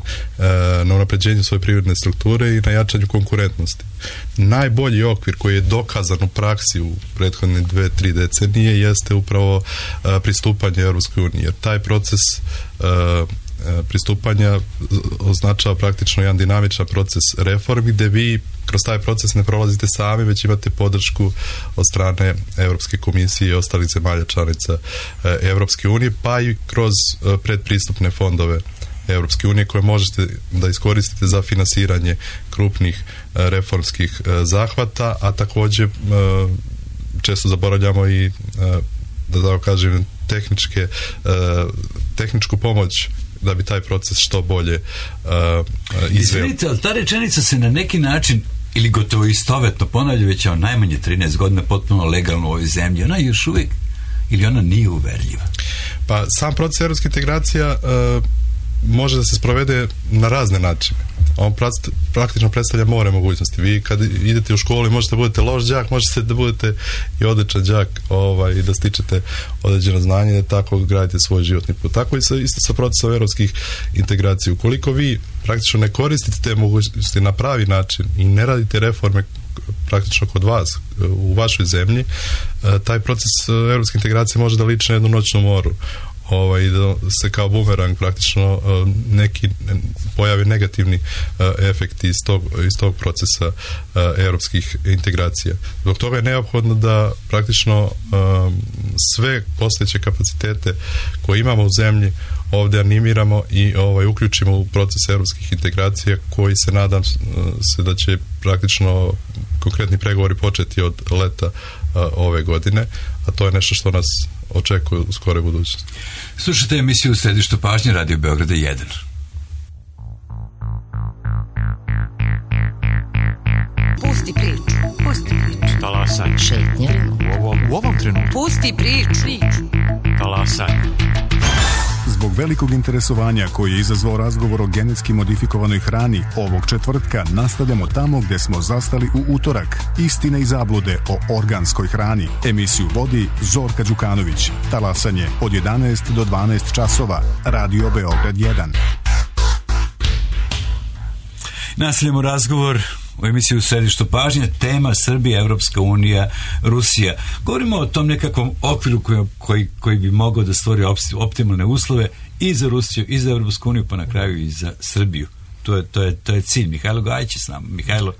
na unapređenju svoje privredne strukture i na jačanju konkurentnosti. Najbolji okvir koji je dokazan u praksi u prethodne 2-3 decenije jeste upravo pristupanje Europskoj uniji, jer taj proces pristupanja označava praktično jedan dinamičan proces reformi gdje vi kroz taj proces ne prolazite sami, već imate podršku od strane Europske komisije i ostalih zemalja članica Europske unije, pa i kroz predpristupne fondove Europske unije koje možete da iskoristite za finansiranje krupnih reformskih zahvata, a također često zaboravljamo i da tako kažem tehničku pomoć da bi taj proces što bolje izveo. Izvinite, ali ta rečenica se na neki način ili gotovo istovetno ponavlja već najmanje 13 godina potpuno legalno u ovoj zemlji. Ona je još uvijek ili ona nije uverljiva? Pa sam proces europske integracija može da se sprovede na razne načine. On praktično predstavlja more mogućnosti. Vi kad idete u školu možete da budete loš đak, možete da budete i odličan đak i da stičete određeno znanje i da tako gradite svoj životni put. Tako i isto sa procesom europskih integracija. Ukoliko vi praktično ne koristite te mogućnosti na pravi način i ne radite reforme praktično kod vas, u vašoj zemlji, taj proces europske integracije može da liči na jednu noćnu moru. I da se kao bumerang praktično neki pojavi negativni efekti iz tog procesa europskih integracija. Zbog toga je neophodno da praktično sve postojeće kapacitete koje imamo u zemlji ovdje animiramo i uključimo u proces europskih integracija koji se nadam se da će praktično konkretni pregovori početi od leta ove godine, a to je nešto što nas očekuje u skoroj budućnosti. Slušajte emisiju u središtu pažnje Radio Beograda 1. Pusti priču. Talasaj. Šetnje. U ovom trenutku. Pusti priču. Talasaj. Zbog velikog interesovanja koji je izazvao razgovor o genetski modifikovanoj hrani, ovog četvrtka nastavljamo tamo gdje smo zastali u utorak. Istine i zablude o organskoj hrani. Emisiju vodi Zorka Đukanović. Talasanje od 11 do 12 časova. Radio Beograd 1. Nastavljamo razgovor u emisiju u središtu pažnje, tema Srbija, Evropska unija, Rusija. Govorimo o tom nekakvom okviru koji bi mogao da stvori optimalne uslove i za Rusiju, i za Evropsku uniju, pa na kraju i za Srbiju. To je cilj. Mihajlo Gajić je s nama. Mihajlo.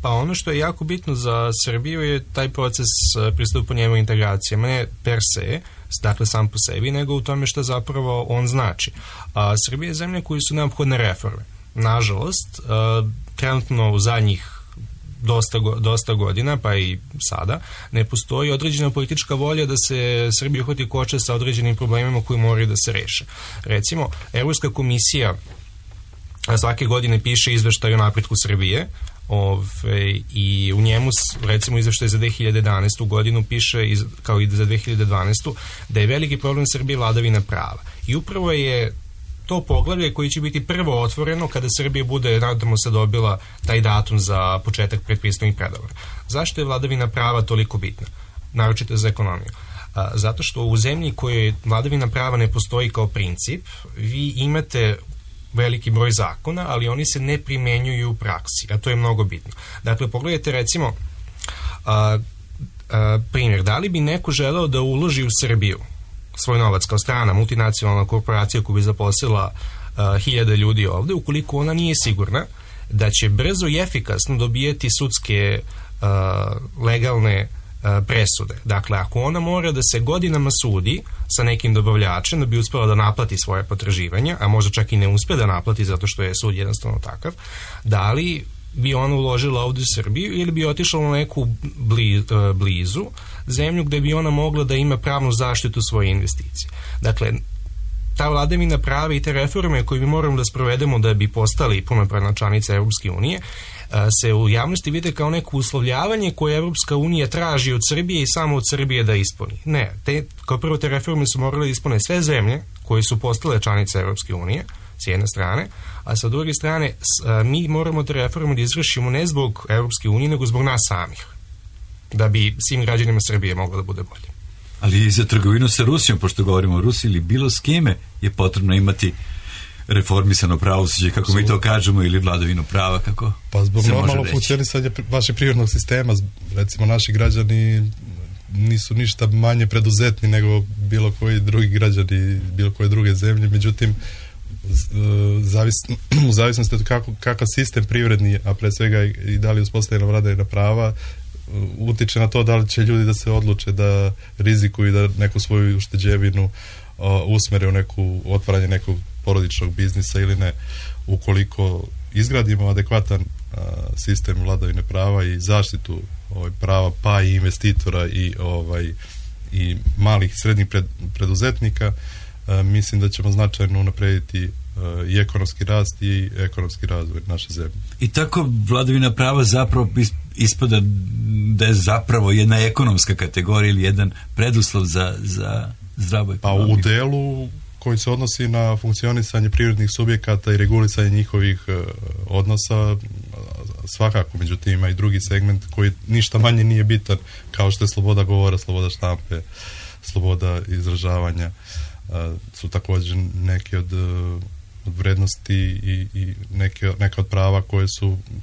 Pa ono što je jako bitno za Srbiju je taj proces pristupanja integracijama, ne per se, dakle sam po sebi, nego u tome što zapravo on znači. Srbija je zemlja koji su neophodne reforme. Nažalost, trenutno u zadnjih dosta godina, pa i sada, ne postoji određena politička volja da se Srbija uhvati koče sa određenim problemima koji moraju da se reše. Recimo, Evropska komisija svake godine piše izveštaj o napretku Srbije, i u njemu, recimo, izveštaj za 2011. godinu piše, kao i za 2012. da je veliki problem Srbije vladavina prava. I upravo je to poglavlje koji će biti prvo otvoreno kada Srbija bude, nadamo se, dobila taj datum za početak predpristupnih pregovora. Zašto je vladavina prava toliko bitna? Naročito za ekonomiju. Zato što u zemlji kojoj vladavina prava ne postoji kao princip, vi imate veliki broj zakona, ali oni se ne primenjuju u praksi, a to je mnogo bitno. Dakle, pogledajte recimo primjer, da li bi neko želeo da uloži u Srbiju svoj novac kao strana multinacionalna korporacija koja bi zaposlila 1000 ljudi ovde, ukoliko ona nije sigurna da će brzo i efikasno dobijeti sudske legalne presude. Dakle, ako ona mora da se godinama sudi sa nekim dobavljačem da bi uspela da naplati svoje potraživanja, a možda čak i ne uspe da naplati zato što je sud jednostavno takav, da li bi ona uložila ovdje u Srbiju ili bi otišla u neku blizu zemlju gde bi ona mogla da ima pravnu zaštitu svoje investicije. Dakle, ta vladavina prava i te reforme koje mi moramo da sprovedemo da bi postali punopravna članica Evropske unije se u javnosti vide kao neko uslovljavanje koje Evropska unija traži od Srbije i samo od Srbije da ispuni. Ne, kao prvo te reforme su morale da ispune sve zemlje koje su postale članice Evropske unije, s jedne strane, a sa druge strane mi moramo te reforme da izvršimo ne zbog Evropske unije, nego zbog nas samih, da bi svim građanima Srbije moglo da bude bolje. Ali i za trgovinu sa Rusijom, pošto govorimo o Rusiji ili bilo s kime, je potrebno imati reformisano pravosuđe, kako mi to kažemo, ili vladavinu prava, kako pa zbog se može normalno reći. funkcionisanja vašeg privrednog sistema, recimo naši građani nisu ništa manje preduzetni nego bilo koji drugi građani, bilo koje druge zemlje, međutim u zavisnosti od kakav sistem privredni, a pre svega i da li uspostavljena vladavina prava, utiče na to da li će ljudi da se odluče da rizikuju da neku svoju ušteđevinu usmere u neku otvaranje nekog porodičnog biznisa ili ne. Ukoliko izgradimo adekvatan sistem vladavine prava i zaštitu prava pa i investitora i malih i srednjih preduzetnika, mislim da ćemo značajno unaprediti i ekonomski rast i ekonomski razvoj naše zemlje. I tako vladavina prava zapravo ispada da je zapravo jedna ekonomska kategorija ili jedan preduslov za zdravu ekonomiju. Pa u delu koji se odnosi na funkcionisanje privrednih subjekata i regulisanje njihovih odnosa svakako, međutim ima i drugi segment koji ništa manje nije bitan, kao što je sloboda govora, sloboda štampe, sloboda izražavanja, su također neke od vrednosti i neka od prava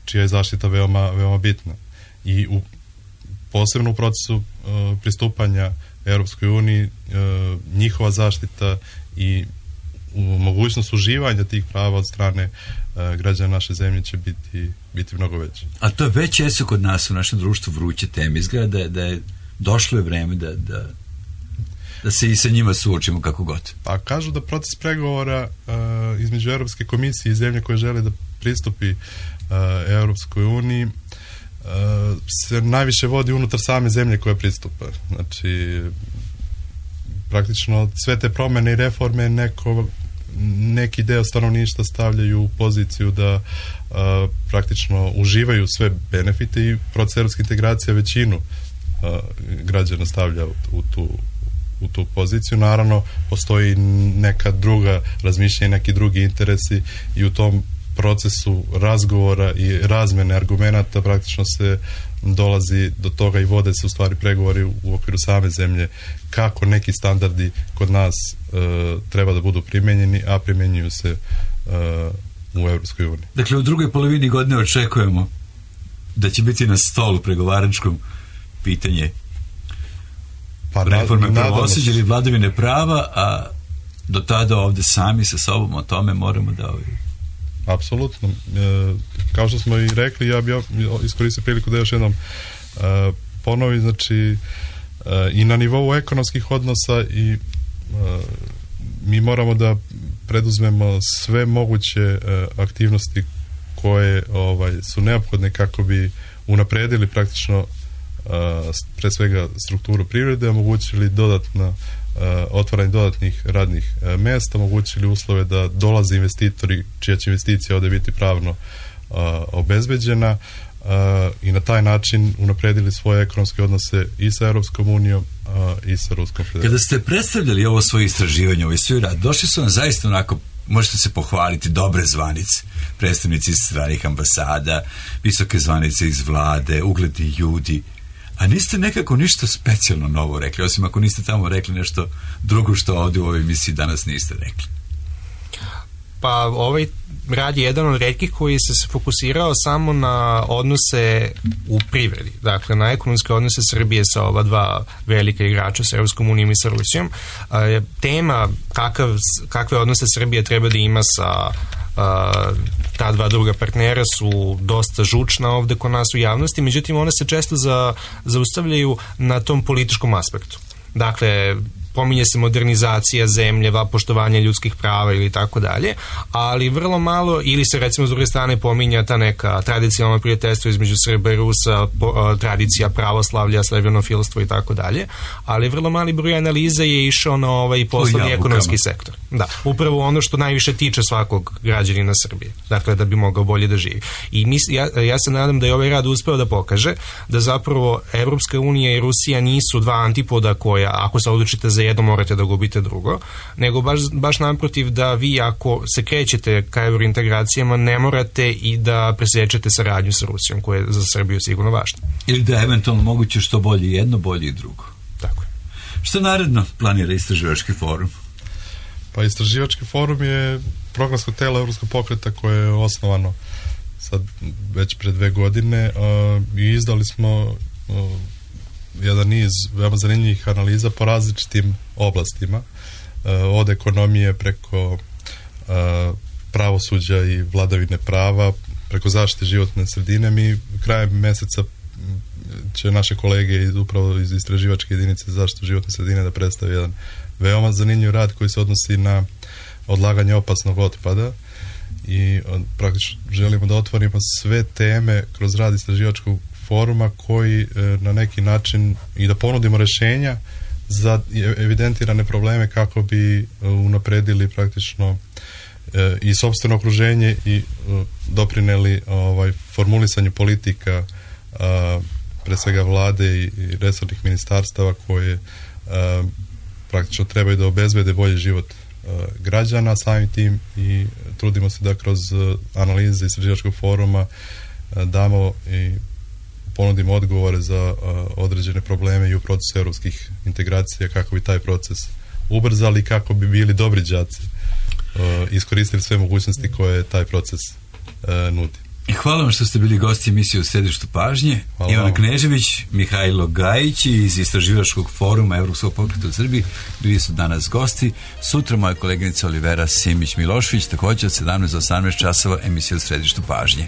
čija je zaštita veoma bitna. I posebno u procesu pristupanja Europskoj uniji njihova zaštita i mogućnost uživanja tih prava od strane građana naše zemlje će biti mnogo veće. A to već jesu kod nas u našem društvu vruće teme. Izgleda da je došlo je vreme da se i sa njima suočimo kako god. Pa kažu da proces pregovora između Europske komisije i zemlje koje žele da pristupi Europskoj uniji se najviše vodi unutar same zemlje koja pristupa. Znači, praktično sve te promene i reforme neki deo stanovništva stavljaju u poziciju da praktično uživaju sve benefite i proces europske integracije većinu građana stavlja u tu poziciju. Naravno, postoji neka druga razmišljanja, neki drugi interesi i u tom procesu razgovora i razmene argumenata praktično se dolazi do toga i vode se u stvari pregovori u okviru same zemlje kako neki standardi kod nas treba da budu primenjeni, a primenjuju se u Evropskoj uniji. Dakle, u drugoj polovini godine očekujemo da će biti na stolu pregovaračkom pitanje reforme pravosuđa ili vladavine prava, a do tada ovde sami sa sobom o tome moramo da Apsolutno. Kao što smo i rekli, ja bih iskoristio priliku da još jednom ponovim, znači i na nivou ekonomskih odnosa i mi moramo da preduzmemo sve moguće aktivnosti koje su neophodne kako bi unapredili praktično pre svega strukturu privrede, omogućili otvaranje dodatnih radnih mesta, omogućili uslove da dolaze investitori čija će investicija ovdje biti pravno obezbeđena i na taj način unapredili svoje ekonomske odnose i sa Europskom unijom i sa Ruskom federacijom. Kada ste predstavljali ovo svoje istraživanje, ovaj svoj rad, došli su vam zaista onako, možete se pohvaliti, dobre zvanice, predstavnici iz stranih ambasada, visoke zvanice iz vlade, ugledni ljudi, a niste nekako ništa specijalno novo rekli, osim ako niste tamo rekli nešto drugo što ovdje u ovoj emisiji danas niste rekli. Pa ovaj rad je jedan od retkih koji se fokusirao samo na odnose u privredi, dakle na ekonomske odnose Srbije sa ova dva velika igrača, sa Evropskom unijom i sa Rusijom. Tema kakve odnose Srbija treba da ima sa ta dva druga partnera su dosta žučna ovde kod nas u javnosti, međutim one se često zaustavljaju na tom političkom aspektu. Dakle, pominje se modernizacija zemlje, poštovanje ljudskih prava ili tako dalje, ali vrlo malo, ili se recimo s druge strane pominja ta neka tradicionalno prijateljstvo između Srba i Rusa, tradicija pravoslavlja, slavenofilstvo i tako dalje, ali vrlo mali broj analiza je išao na poslovni ekonomski sektor. Da, upravo ono što najviše tiče svakog građanina Srbije, dakle da bi mogao bolje da živi. I ja se nadam da je ovaj rad uspeo da pokaže da zapravo Evropska unija i Rusija nisu dva antipoda koja, ako se odlučite za jedno, morate da gubite drugo, nego baš naprotiv, da vi ako se krećete ka eurointegracijama ne morate i da presečete saradnju sa Rusijom, koja je za Srbiju sigurno važna. Ili da je eventualno moguće što bolje jedno, bolje i drugo. Tako je. Što naredno planira Istraživački forum? Pa Istraživački forum je programsko telo Evropskog pokreta koje je osnovano sad već pre 2 godine i izdali smo jedan niz veoma zanimljivih analiza po različitim oblastima, od ekonomije preko pravosuđa i vladavine prava, preko zaštite životne sredine. Mi krajem meseca će naše kolege upravo iz istraživačke jedinice za zaštitu životne sredine da predstave jedan veoma zanimljiv rad koji se odnosi na odlaganje opasnog otpada i praktično želimo da otvorimo sve teme kroz rad istraživačkog foruma koji na neki način i da ponudimo rešenja za evidentirane probleme kako bi unapredili praktično i sopstveno okruženje i doprineli formulisanju politika pre svega vlade i resornih ministarstava koje praktično trebaju da obezbede bolji život građana, samim tim i trudimo se da kroz analize istraživačkog foruma damo i ponudimo odgovore za određene probleme i u procesu evropskih integracija, kako bi taj proces ubrzali, kako bi bili dobri đaci, iskoristili sve mogućnosti koje taj proces nudi. Hvala vam što ste bili gosti emisije u Središtu pažnje. Ivana Knežević, Mihajlo Gajić iz Istraživačkog foruma Evropskog pokreta u Srbiji bili su danas gosti. Sutra moja koleginica Olivera Simić-Milošević, također od 17 do 18 časova emisija u Središtu pažnje.